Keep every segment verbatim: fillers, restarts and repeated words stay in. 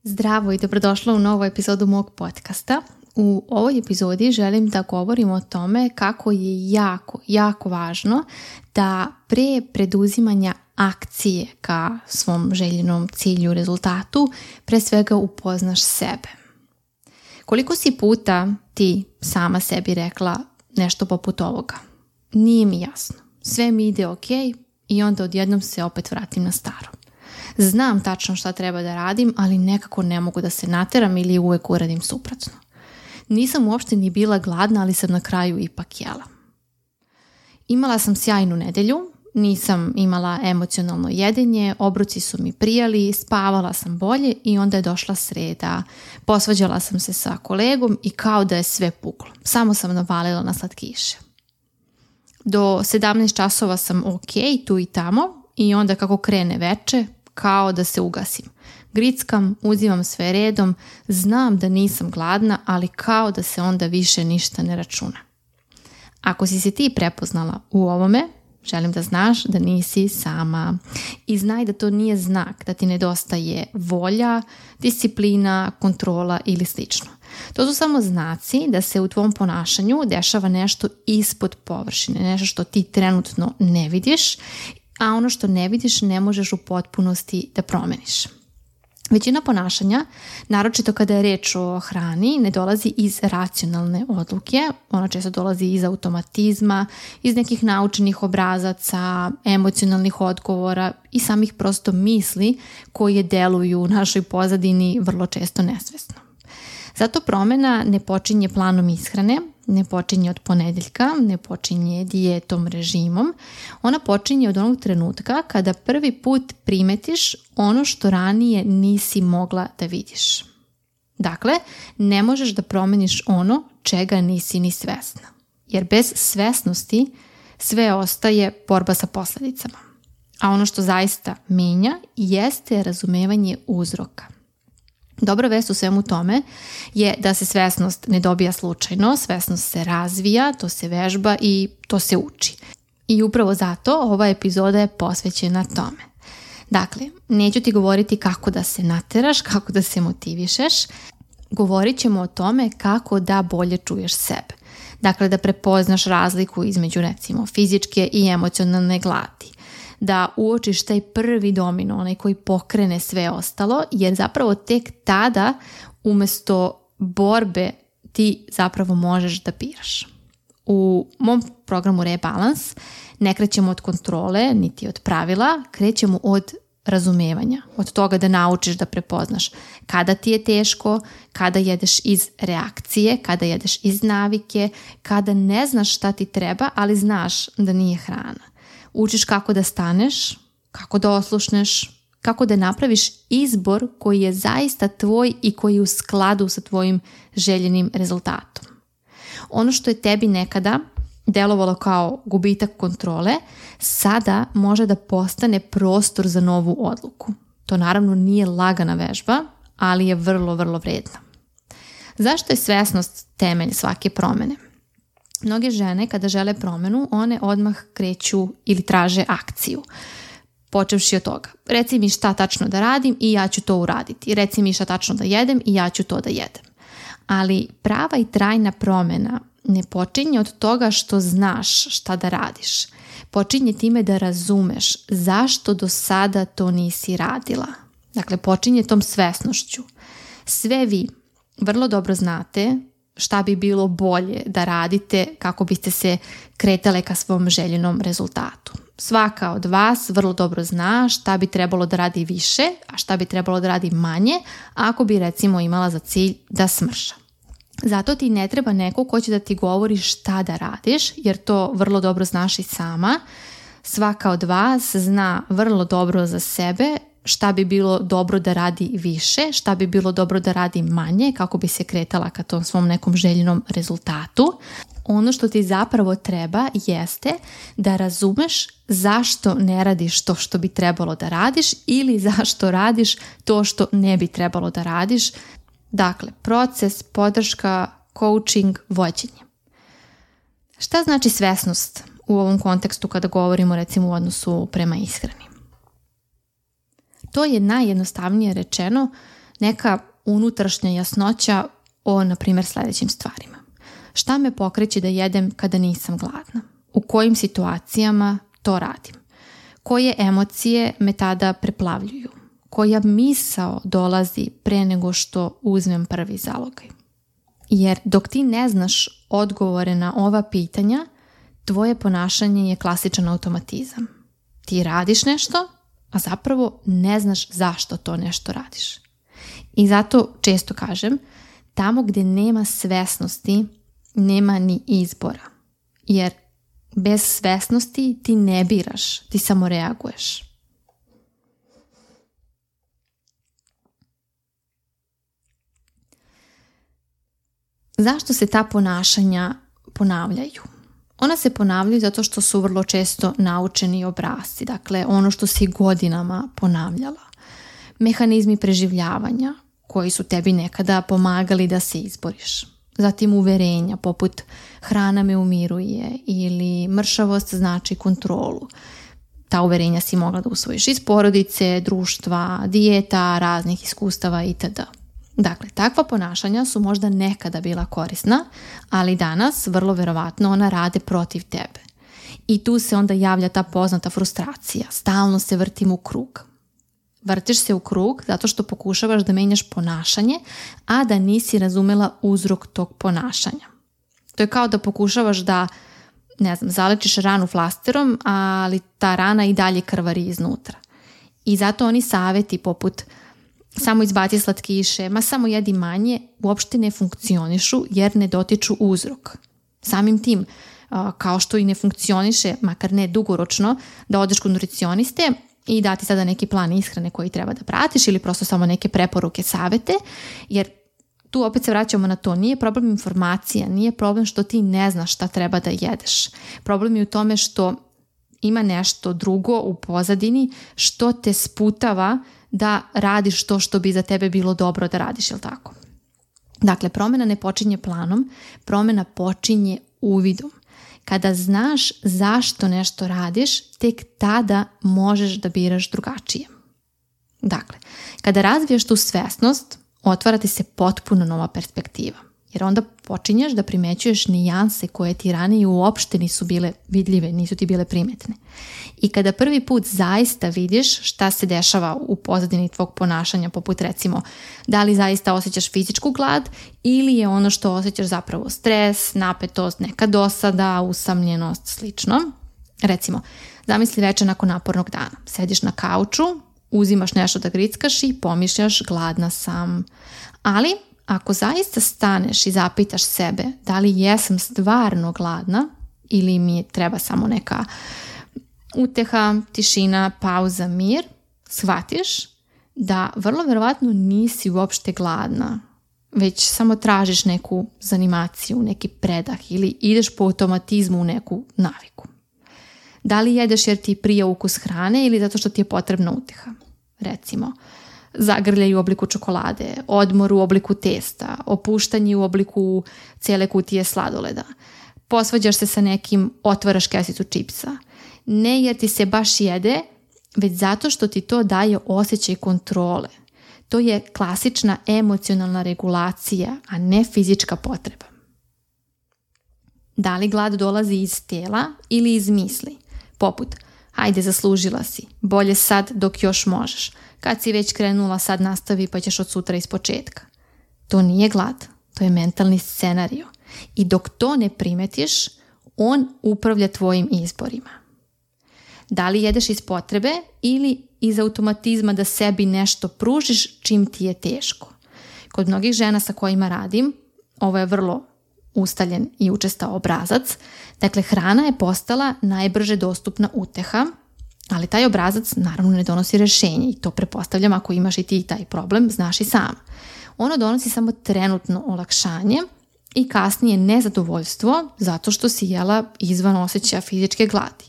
Zdravo i dobrodošla u novu epizodu mog podcasta. U ovoj epizodi želim da govorim o tome kako je jako, jako važno da pre preduzimanja akcije ka svom željenom cilju, rezultatu, pre svega upoznaš sebe. Koliko si puta ti sama sebi rekla nešto poput ovoga? Nije mi jasno. Sve mi ide ok i onda odjednom se opet vratim na staro. Znam tačno šta treba da radim, ali nekako ne mogu da se nateram ili uvek uradim suprotno. Nisam uopšte ni bila gladna, ali sam na kraju ipak jela. Imala sam sjajnu nedelju, nisam imala emocionalno jedenje, obruci su mi prijali, spavala sam bolje i onda je došla sreda. Posvađala sam se sa kolegom i kao da je sve puklo. Samo sam navalila na slatkiše. Do sedamnaest časova sam ok, tu i tamo, i onda kako krene veče, kao da se ugasim. Grickam, uzimam sve redom, znam da nisam gladna, ali kao da se onda više ništa ne računa. Ako si se ti prepoznala u ovome, želim da znaš da nisi sama. I znaj da to nije znak da ti nedostaje volja, disciplina, kontrola ili slično. To su samo znaci da se u tvom ponašanju dešava nešto ispod površine, nešto što ti trenutno ne vidiš, a ono što ne vidiš ne možeš u potpunosti da promeniš. Većina ponašanja, naročito kada je reč o hrani, ne dolazi iz racionalne odluke, ona često dolazi iz automatizma, iz nekih naučenih obrazaca, emocionalnih odgovora i samih prosto misli koje deluju u našoj pozadini vrlo često nesvesno. Zato promjena ne počinje planom ishrane, ne počinje od ponedeljka, ne počinje dijetom, režimom. Ona počinje od onog trenutka kada prvi put primetiš ono što ranije nisi mogla da vidiš. Dakle, ne možeš da promeniš ono čega nisi ni svesna. Jer bez svesnosti sve ostaje borba sa posljedicama. A ono što zaista menja jeste razumevanje uzroka. Dobra vest u svemu tome je da se svesnost ne dobija slučajno, svesnost se razvija, to se vežba i to se uči. I upravo zato ova epizoda je posvećena tome. Dakle, neću ti govoriti kako da se nateraš, kako da se motivišeš, govorit ćemo o tome kako da bolje čuješ sebe. Dakle, da prepoznaš razliku između recimo fizičke i emocionalne gladi. Da uočiš taj prvi domino, onaj koji pokrene sve ostalo, jer zapravo tek tada umjesto borbe ti zapravo možeš da biraš. U mom programu Rebalans ne krećemo od kontrole, niti od pravila, krećemo od razumevanja, od toga da naučiš da prepoznaš kada ti je teško, kada jedeš iz reakcije, kada jedeš iz navike, kada ne znaš šta ti treba, ali znaš da nije hrana. Učiš kako da staneš, kako da oslušneš, kako da napraviš izbor koji je zaista tvoj i koji je u skladu sa tvojim željenim rezultatom. Ono što je tebi nekada delovalo kao gubitak kontrole, sada može da postane prostor za novu odluku. To naravno nije lagana vežba, ali je vrlo, vrlo vredna. Zašto je svesnost temelj svake promjene? Mnoge žene kada žele promjenu, one odmah kreću ili traže akciju. Počevši od toga. Reci mi šta tačno da radim i ja ću to uraditi. Reci mi šta tačno da jedem i ja ću to da jedem. Ali prava i trajna promjena ne počinje od toga što znaš šta da radiš. Počinje time da razumeš zašto do sada to nisi radila. Dakle, počinje tom svesnošću. Sve vi vrlo dobro znate šta bi bilo bolje da radite kako biste se kretale ka svom željenom rezultatu. Svaka od vas vrlo dobro zna šta bi trebalo da radi više, a šta bi trebalo da radi manje, ako bi recimo imala za cilj da smrša. Zato ti ne treba neko ko će da ti govori šta da radiš, jer to vrlo dobro znaš i sama. Svaka od vas zna vrlo dobro za sebe šta bi bilo dobro da radi više, šta bi bilo dobro da radi manje, kako bi se kretala ka tom svom nekom željenom rezultatu. Ono što ti zapravo treba jeste da razumeš zašto ne radiš to što bi trebalo da radiš ili zašto radiš to što ne bi trebalo da radiš. Dakle, proces, podrška, coaching, vođenje. Šta znači svesnost u ovom kontekstu kada govorimo recimo u odnosu prema ishrani? To je najjednostavnije rečeno neka unutrašnja jasnoća o, na primjer, sljedećim stvarima. Šta me pokreće da jedem kada nisam gladna? U kojim situacijama to radim? Koje emocije me tada preplavljuju? Koja misao dolazi pre nego što uzmem prvi zalogaj? Jer dok ti ne znaš odgovore na ova pitanja, tvoje ponašanje je klasičan automatizam. Ti radiš nešto, a zapravo ne znaš zašto to nešto radiš. I zato često kažem, tamo gdje nema svesnosti, nema ni izbora. Jer bez svesnosti ti ne biraš, ti samo reaguješ. Zašto se ta ponašanja ponavljaju? Ona se ponavljaju zato što su vrlo često naučeni obrasci, dakle ono što si godinama ponavljala. Mehanizmi preživljavanja koji su tebi nekada pomagali da se izboriš. Zatim uverenja poput hrana me umiruje ili mršavost znači kontrolu. Ta uverenja si mogla da usvojiš iz porodice, društva, dijeta, raznih iskustava itd. Dakle, takva ponašanja su možda nekada bila korisna, ali danas vrlo verovatno ona rade protiv tebe. I tu se onda javlja ta poznata frustracija. Stalno se vrtim u krug. Vrtiš se u krug zato što pokušavaš da menjaš ponašanje, a da nisi razumela uzrok tog ponašanja. To je kao da pokušavaš da, ne znam, zalečiš ranu flasterom, ali ta rana i dalje krvari iznutra. I zato oni savjeti poput samo izbaci slatkiše, ma samo jedi manje, uopšte ne funkcionišu jer ne dotiču uzrok. Samim tim, kao što i ne funkcioniše, makar ne dugoročno, da odeš kod nutricioniste i dati sada neki plan ishrane koji treba da pratiš ili prosto samo neke preporuke, savete, jer tu opet se vraćamo na to, nije problem informacija, nije problem što ti ne znaš šta treba da jedeš. Problem je u tome što ima nešto drugo u pozadini što te sputava da radiš to što bi za tebe bilo dobro da radiš, jel tako? Dakle, promjena ne počinje planom, promjena počinje uvidom. Kada znaš zašto nešto radiš, tek tada možeš da biraš drugačije. Dakle, kada razviješ tu svesnost, otvara ti se potpuno nova perspektiva. Jer onda počinješ da primećuješ nijanse koje ti ranije uopšte nisu bile vidljive, nisu ti bile primetne. I kada prvi put zaista vidiš šta se dešava u pozadini tvog ponašanja, poput recimo da li zaista osjećaš fizičku glad ili je ono što osjećaš zapravo stres, napetost, neka dosada, usamljenost, slično. Recimo, zamisli večer nakon napornog dana. Sediš na kauču, uzimaš nešto da grickaš i pomišljaš gladna sam. Ali ako zaista staneš i zapitaš sebe da li jesam stvarno gladna ili mi treba samo neka uteha, tišina, pauza, mir, shvatiš da vrlo verovatno nisi uopšte gladna, već samo tražiš neku zanimaciju, neki predah ili ideš po automatizmu u neku naviku. Da li jedeš jer ti prija ukus hrane ili zato što ti je potrebna uteha? Recimo, zagrljaj u obliku čokolade, odmor u obliku testa, opuštanje u obliku cijele kutije sladoleda. Posvađaš se sa nekim, otvaraš kesicu čipsa. Ne jer ti se baš jede, već zato što ti to daje osjećaj kontrole. To je klasična emocionalna regulacija, a ne fizička potreba. Da li glad dolazi iz tela ili iz misli? Poput, hajde zaslužila si, bolje sad dok još možeš. Kad si već krenula, sad nastavi pa ćeš od sutra iz početka. To nije glad, to je mentalni scenario. I dok to ne primetiš, on upravlja tvojim izborima. Da li jedeš iz potrebe ili iz automatizma da sebi nešto pružiš čim ti je teško? Kod mnogih žena sa kojima radim, ovo je vrlo ustaljen i učestao obrazac, dakle hrana je postala najbrže dostupna uteha, ali taj obrazac naravno ne donosi rješenje i to pretpostavljam ako imaš i ti taj problem, znaš i sam. Ono donosi samo trenutno olakšanje i kasnije nezadovoljstvo zato što si jela izvan osjećaja fizičke gladi.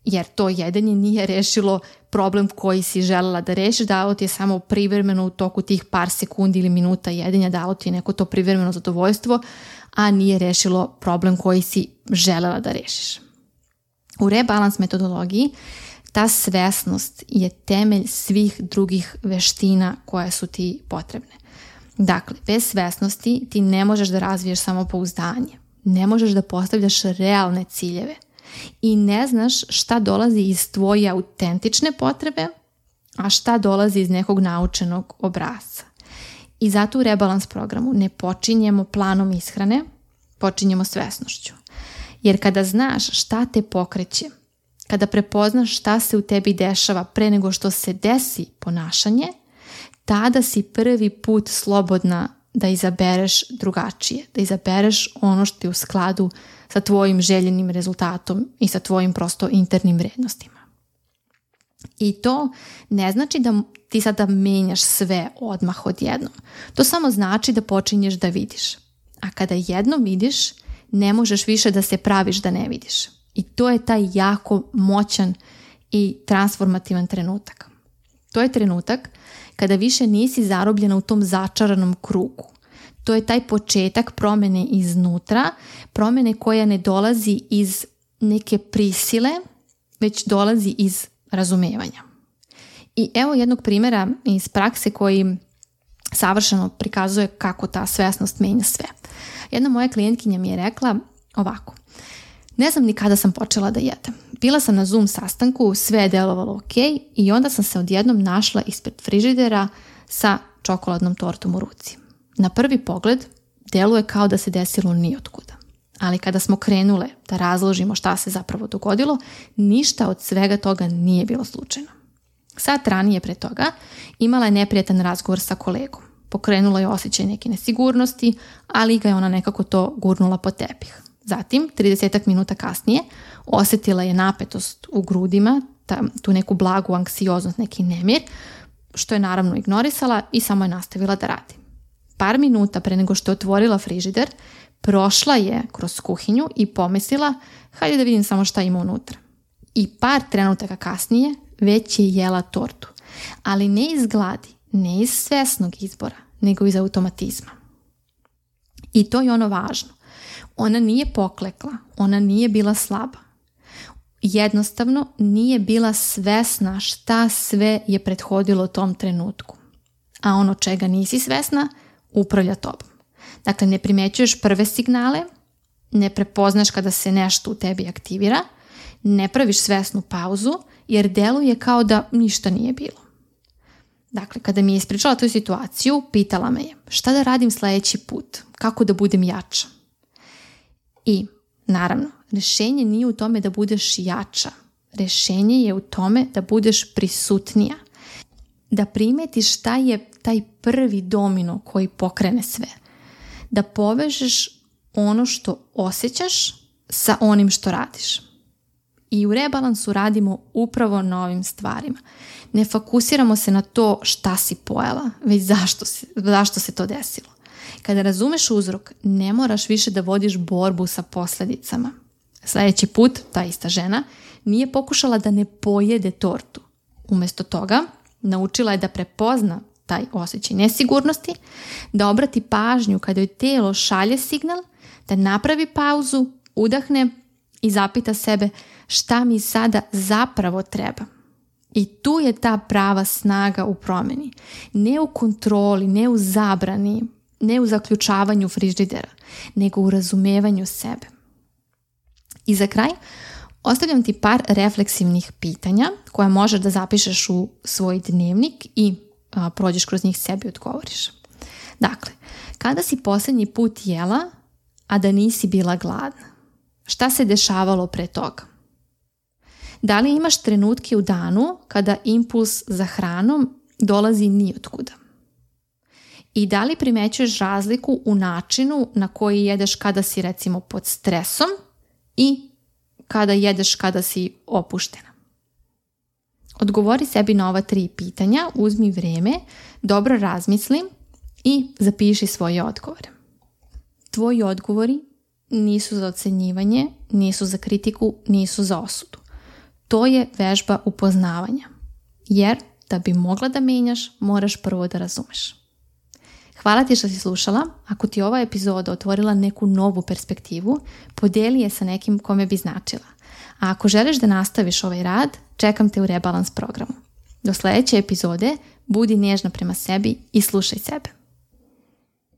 Jer to jedenje nije rešilo problem koji si želela da rešiš, dalo ti je samo privremeno u toku tih par sekundi ili minuta jedenja, dalo ti je neko to privremeno zadovoljstvo, a nije rešilo problem koji si želela da rešiš. U rebalans metodologiji Ta svesnost je temelj svih drugih veština koje su ti potrebne. Dakle, bez svesnosti ti ne možeš da razviješ samopouzdanje, ne možeš da postavljaš realne ciljeve i ne znaš šta dolazi iz tvoje autentične potrebe, a šta dolazi iz nekog naučenog obrasca. I zato u rebalans programu ne počinjemo planom ishrane, počinjemo svesnošću. Jer kada znaš šta te pokreće, kada prepoznaš šta se u tebi dešava pre nego što se desi ponašanje, tada si prvi put slobodna da izabereš drugačije, da izabereš ono što je u skladu sa tvojim željenim rezultatom i sa tvojim prosto internim vrednostima. I to ne znači da ti sada menjaš sve odmah odjednom. To samo znači da počinješ da vidiš. A kada jednom vidiš, ne možeš više da se praviš da ne vidiš. I to je taj jako moćan i transformativan trenutak. To je trenutak kada više nisi zarobljena u tom začaranom krugu. To je taj početak promjene iznutra, promjene koja ne dolazi iz neke prisile, već dolazi iz razumevanja. I evo jednog primjera iz prakse koji savršeno prikazuje kako ta svesnost menja sve. Jedna moja klijentkinja mi je rekla ovako: ne znam ni kada sam počela da jedem. Bila sam na Zoom sastanku, sve je delovalo ok i onda sam se odjednom našla ispred frižidera sa čokoladnom tortom u ruci. Na prvi pogled deluje kao da se desilo nijotkuda. Ali kada smo krenule da razložimo šta se zapravo dogodilo, ništa od svega toga nije bilo slučajno. Sat ranije pre toga imala je neprijatan razgovor sa kolegom. Pokrenula je osjećaj neke nesigurnosti, ali ga je ona nekako to gurnula pod tepih. Zatim, tridesetak minuta kasnije, osjetila je napetost u grudima, ta, tu neku blagu anksioznost, neki nemir, što je naravno ignorisala i samo je nastavila da radi. Par minuta pre nego što je otvorila frižider, prošla je kroz kuhinju i pomislila, hajde da vidim samo šta ima unutra. I par trenutaka kasnije već je jela tortu, ali ne iz gladi, ne iz svesnog izbora, nego iz automatizma. I to je ono važno. Ona nije poklekla, ona nije bila slaba. Jednostavno nije bila svesna šta sve je prethodilo tom trenutku. A ono čega nisi svesna, upravlja tobom. Dakle, ne primećuješ prve signale, ne prepoznaš kada se nešto u tebi aktivira, ne praviš svesnu pauzu, jer deluje kao da ništa nije bilo. Dakle, kada mi je ispričala tu situaciju, pitala me je šta da radim sljedeći put, kako da budem jača. I, naravno, rješenje nije u tome da budeš jača. Rješenje je u tome da budeš prisutnija. Da primetiš šta je taj prvi domino koji pokrene sve. Da povežeš ono što osjećaš sa onim što radiš. I u rebalansu radimo upravo na ovim stvarima. Ne fokusiramo se na to šta si pojela, već zašto se, zašto se to desilo. Kada razumeš uzrok, ne moraš više da vodiš borbu sa posljedicama. Sljedeći put, ta ista žena nije pokušala da ne pojede tortu. Umjesto toga, naučila je da prepozna taj osjećaj nesigurnosti, da obrati pažnju kada joj telo šalje signal, da napravi pauzu, udahne i zapita sebe šta mi sada zapravo treba. I tu je ta prava snaga u promjeni. Ne u kontroli, ne u zabrani, ne u zaključavanju frižidera, nego u razumevanju sebe. I za kraj, ostavljam ti par refleksivnih pitanja koja možeš da zapišeš u svoj dnevnik i a, prođeš kroz njih sebi i odgovoriš. Dakle, kada si posljednji put jela, a da nisi bila gladna? Šta se dešavalo pre toga? Da li imaš trenutke u danu kada impuls za hranom dolazi nijotkuda? I da li primećuješ razliku u načinu na koji jedeš kada si recimo pod stresom i kada jedeš kada si opuštena? Odgovori sebi na ova tri pitanja, uzmi vrijeme, dobro razmisli i zapiši svoje odgovore. Tvoji odgovori nisu za ocenjivanje, nisu za kritiku, nisu za osudu. To je vežba upoznavanja. Jer da bi mogla da menjaš, moraš prvo da razumeš. Hvala ti što si slušala. Ako ti ova epizoda otvorila neku novu perspektivu, podijeli je sa nekim kome bi značila. A ako želiš da nastaviš ovaj rad, čekam te u rebalans programu. Do sljedeće epizode budi nježna prema sebi i slušaj sebe.